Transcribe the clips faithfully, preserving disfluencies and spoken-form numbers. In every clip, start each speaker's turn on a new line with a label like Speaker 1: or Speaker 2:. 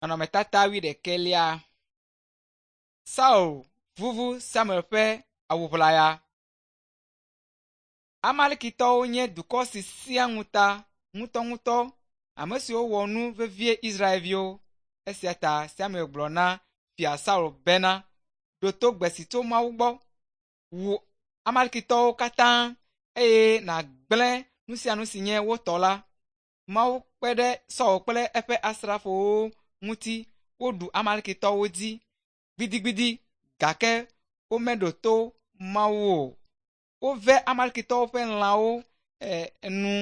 Speaker 1: Nɔnɔmetata wuiɖekɛlia. Saul vuvu Samuel ƒe awu ʋlaya. Amalekitɔwo nye dukɔ si sẽa ŋuta ŋutɔŋutɔ, ame siwo wɔ nu vevie Israelviwo. Esia ta Samuel gblɔ na Fia Saul bena, “Ɖo to gbe si tso Mawu gbɔ. Wu Amalekitɔwo katã eye nàgblẽ nu sia nu si nye wo tɔ la.” Mawu kpe ɖe Saul kple eƒe asrafowo ŋuti woɖu Amalekitɔwo dzi gbidigbidi gake womeɖo to Mawu o. Wove Amalekitɔwo ƒe lãwo e, nu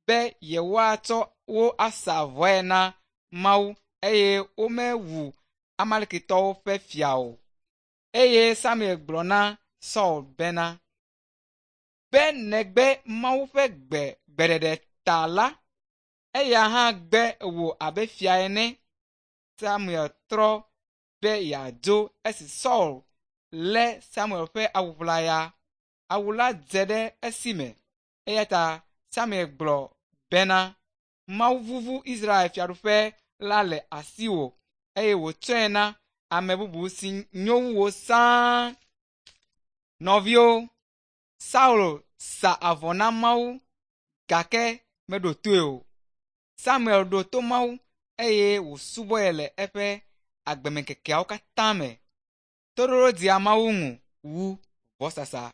Speaker 1: be yewoatsɔ wo asa vɔe na Mawu eye womewu Amalekitɔwo ƒe fia o. Eye Samuel gblɔ na Saul bena, “Be nègbe Mawu ƒe gbe gbeɖeɖe ta la, eya hã gbe wò abe fia ene.” Samuel trɔ be yeadzo esi Saul lé Samuel ƒe awu ʋlaya. Awu la dze ɖe esi me eya ta Samuel gblɔ bena, “Mawu vuvu Israel fiaɖuƒe la le asiwò eye wòtsɔe na ame bubu si nyo wu wò sãa.” Nɔviwo, Saul sa avɔ na Mawu gake meɖo toe o. Samuel ɖo to Mawu eye wòsubɔe le eƒe agbemeŋkekeawo katã me. Toɖoɖo dzea Mawu ŋu wu vɔsasa.